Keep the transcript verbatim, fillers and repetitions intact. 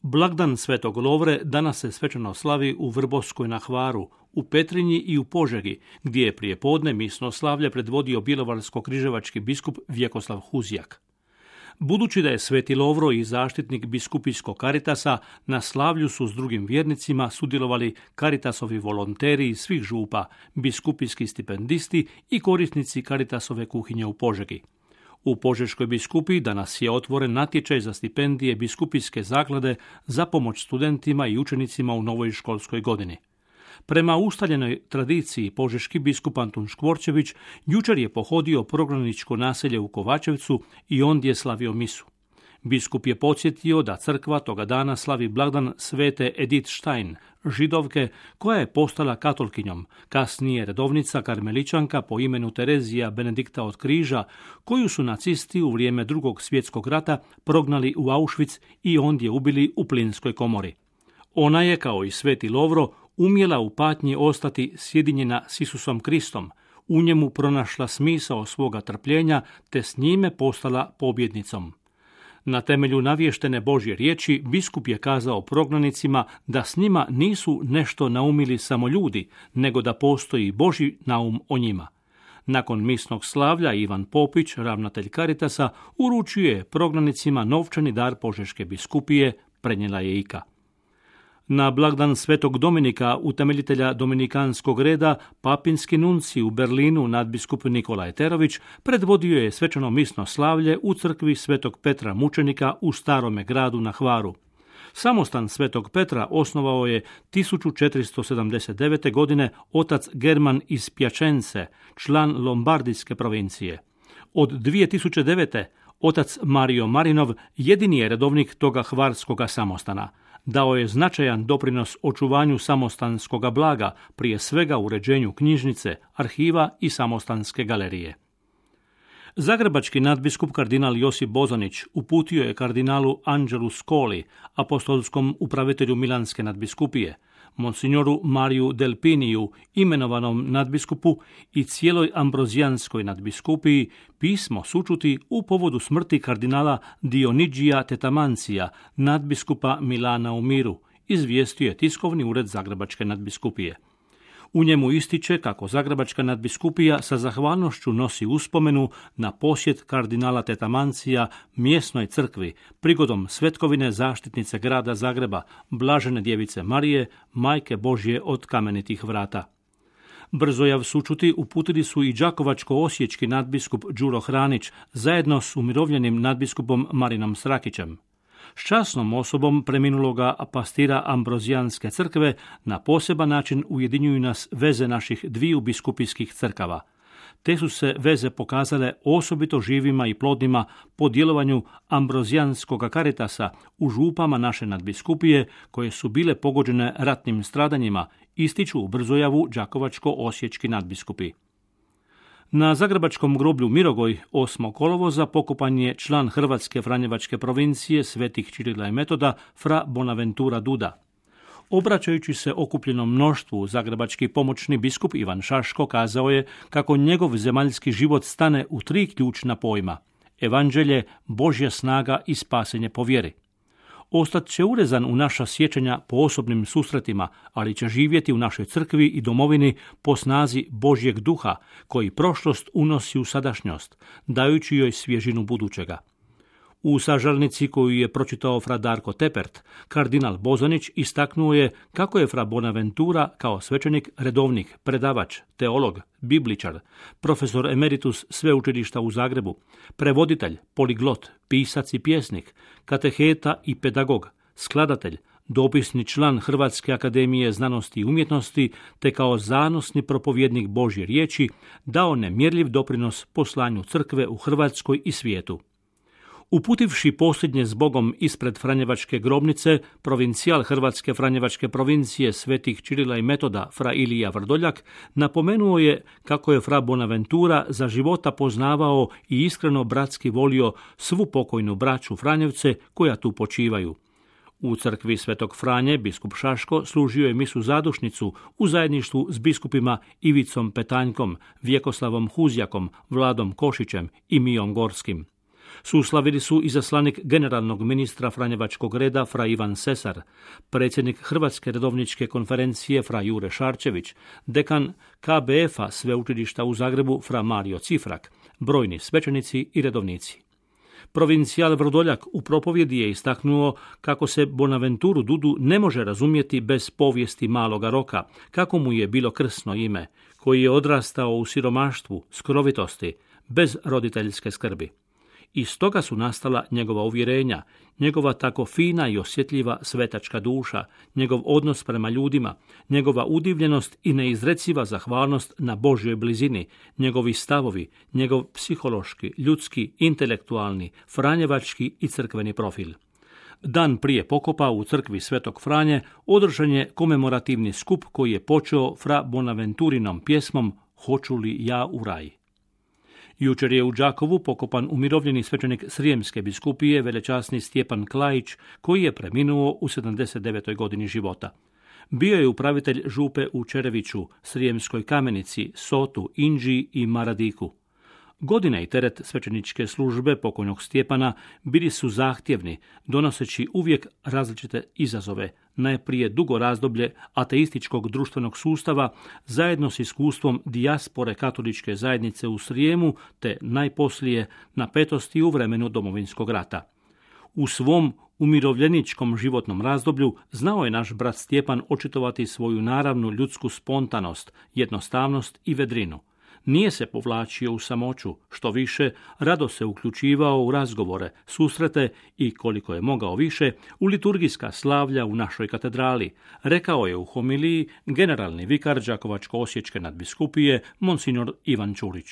Blagdan Svetog Lovre danas se svečano slavi u Vrbovskoj na Hvaru, u Petrinji i u Požegi, gdje je prije podne misno slavlje predvodio bjelovarsko-križevački biskup Vjekoslav Huzjak. Budući da je Sveti Lovro i zaštitnik biskupijskog Karitasa, na slavlju su s drugim vjernicima sudjelovali Karitasovi volonteri iz svih župa, biskupijski stipendisti i korisnici Karitasove kuhinje u Požegi. U Požeškoj biskupiji danas je otvoren natječaj za stipendije biskupijske zaklade za pomoć studentima i učenicima u novoj školskoj godini. Prema ustaljenoj tradiciji, požeški biskup Antun Škvorčević jučer je pohodio prognaničko naselje u Kovačevcu i ondje je slavio misu. Biskup je podsjetio da crkva toga dana slavi blagdan svete Edith Stein, židovke koja je postala katolkinjom, kasnije redovnica karmeličanka po imenu Terezija Benedikta od Križa, koju su nacisti u vrijeme Drugog svjetskog rata prognali u Auschwitz i ondje ubili u plinskoj komori. Ona je, kao i Sveti Lovro, umjela u patnji ostati sjedinjena s Isusom Kristom, u njemu pronašla smisao svoga trpljenja te s njime postala pobjednicom. Na temelju navještene Božje riječi, biskup je kazao prognanicima da s njima nisu nešto naumili samo ljudi, nego da postoji Božji naum o njima. Nakon misnog slavlja Ivan Popić, ravnatelj Karitasa, uručio je prognanicima novčani dar Požeške biskupije, prenijela je Ika. Na blagdan Svetog Dominika, utemeljitelja dominikanskog reda, papinski nunci u Berlinu nadbiskup Nikola Eterović predvodio je svečano misno slavlje u crkvi Svetog Petra Mučenika u Starome gradu na Hvaru. Samostan Svetog Petra osnovao je tisuću četiristo sedamdeset devete. godine otac German iz Pjačence, član Lombardijske provincije. Od dvije tisuće devete. otac Mario Marinov jedini je redovnik toga hvarskoga samostana. Dao je značajan doprinos očuvanju samostanskoga blaga, prije svega uređenju knjižnice, arhiva i samostanske galerije. Zagrebački nadbiskup kardinal Josip Bozanić uputio je kardinalu Anđelu Skoli, apostolskom upravitelju Milanske nadbiskupije, monsignoru Mariju Delpiniju, imenovanom nadbiskupu i cijeloj ambrozijanskoj nadbiskupiji, pismo sućuti u povodu smrti kardinala Dionigija Tetamancija, nadbiskupa Milana u Miru, izvijestio je tiskovni ured Zagrebačke nadbiskupije. U njemu ističe kako Zagrebačka nadbiskupija sa zahvalnošću nosi uspomenu na posjet kardinala Tetamancija mjesnoj crkvi prigodom svetkovine zaštitnice grada Zagreba, Blažene djevice Marije, Majke Božje od kamenitih vrata. Brzojav sućuti uputili su i đakovačko-osječki nadbiskup Đuro Hranić zajedno s umirovljenim nadbiskupom Marinom Srakićem. S časnom osobom preminuloga pastira Ambrozijanske crkve na poseban način ujedinjuju nas veze naših dviju biskupijskih crkava. Te su se veze pokazale osobito živima i plodnima po djelovanju Ambrozijanskog Karitasa u župama naše nadbiskupije koje su bile pogođene ratnim stradanjima, ističu u Brzojavu đakovačko-osječki nadbiskupi. Na zagrebačkom groblju Mirogoj osmog kolovoza pokopan je član Hrvatske franjevačke provincije Svetih Čirila i Metoda fra Bonaventura Duda. Obraćajući se okupljenom mnoštvu, zagrebački pomoćni biskup Ivan Šaško kazao je kako njegov zemaljski život stane u tri ključna pojma: evanđelje, Božja snaga i spasenje po vjeri. Ostat će urezan u naša sjećanja po osobnim susretima, ali će živjeti u našoj crkvi i domovini po snazi Božjeg duha, koji prošlost unosi u sadašnjost, dajući joj svježinu budućega. U sažalnici koju je pročitao fra Darko Tepert, kardinal Bozanić istaknuo je kako je fra Bonaventura kao svećenik redovnik, predavač, teolog, bibličar, profesor emeritus sveučilišta u Zagrebu, prevoditelj, poliglot, pisac i pjesnik, kateheta i pedagog, skladatelj, dopisni član Hrvatske akademije znanosti i umjetnosti, te kao zanosni propovjednik Božje riječi dao nemjerljiv doprinos poslanju crkve u Hrvatskoj i svijetu. Uputivši posljednje s Bogom ispred Franjevačke grobnice, provincijal Hrvatske franjevačke provincije Svetih Čirila i Metoda fra Ilija Vrdoljak napomenuo je kako je fra Bonaventura za života poznavao i iskreno bratski volio svu pokojnu braću Franjevce koja tu počivaju. U crkvi Svetog Franje biskup Šaško služio je misu zadušnicu u zajedništvu s biskupima Ivicom Petanjkom, Vjekoslavom Huzjakom, Vladom Košićem i Mijom Gorskim. Suslavili su izaslanik generalnog ministra Franjevačkog reda fra Ivan Sesar, predsjednik Hrvatske redovničke konferencije fra Jure Šarčević, dekan K B F-a sveučilišta u Zagrebu fra Mario Cifrak, brojni svećenici i redovnici. Provincijal Vrdoljak u propovjedi je istaknuo kako se Bonaventuru Dudu ne može razumjeti bez povijesti Maloga Roka, kako mu je bilo krsno ime, koji je odrastao u siromaštvu, skrovitosti, bez roditeljske skrbi. Iz toga su nastala njegova uvjerenja, njegova tako fina i osjetljiva svetačka duša, njegov odnos prema ljudima, njegova udivljenost i neizreciva zahvalnost na Božjoj blizini, njegovi stavovi, njegov psihološki, ljudski, intelektualni, franjevački i crkveni profil. Dan prije pokopa u crkvi Svetog Franje održan je komemorativni skup koji je počeo fra Bonaventurinom pjesmom Hoću li ja u raj. Jučer je u Đakovu pokopan umirovljeni svećenik Srijemske biskupije velečasni Stjepan Klajić, koji je preminuo u sedamdeset devetoj godini života. Bio je upravitelj župe u Čereviću, Srijemskoj Kamenici, Sotu, Inđiji i Maradiku. Godine i teret svećeničke službe pokojnog Stjepana bili su zahtjevni, donoseći uvijek različite izazove, najprije dugo razdoblje ateističkog društvenog sustava zajedno s iskustvom dijaspore katoličke zajednice u Srijemu te najposlije napetosti u vremenu Domovinskog rata. U svom umirovljeničkom životnom razdoblju znao je naš brat Stjepan očitovati svoju naravnu ljudsku spontanost, jednostavnost i vedrinu. Nije se povlačio u samoću, što više, rado se uključivao u razgovore, susrete i, koliko je mogao više, u liturgijska slavlja u našoj katedrali, rekao je u homiliji generalni vikar Đakovačko-osječke nadbiskupije, monsignor Ivan Čulić.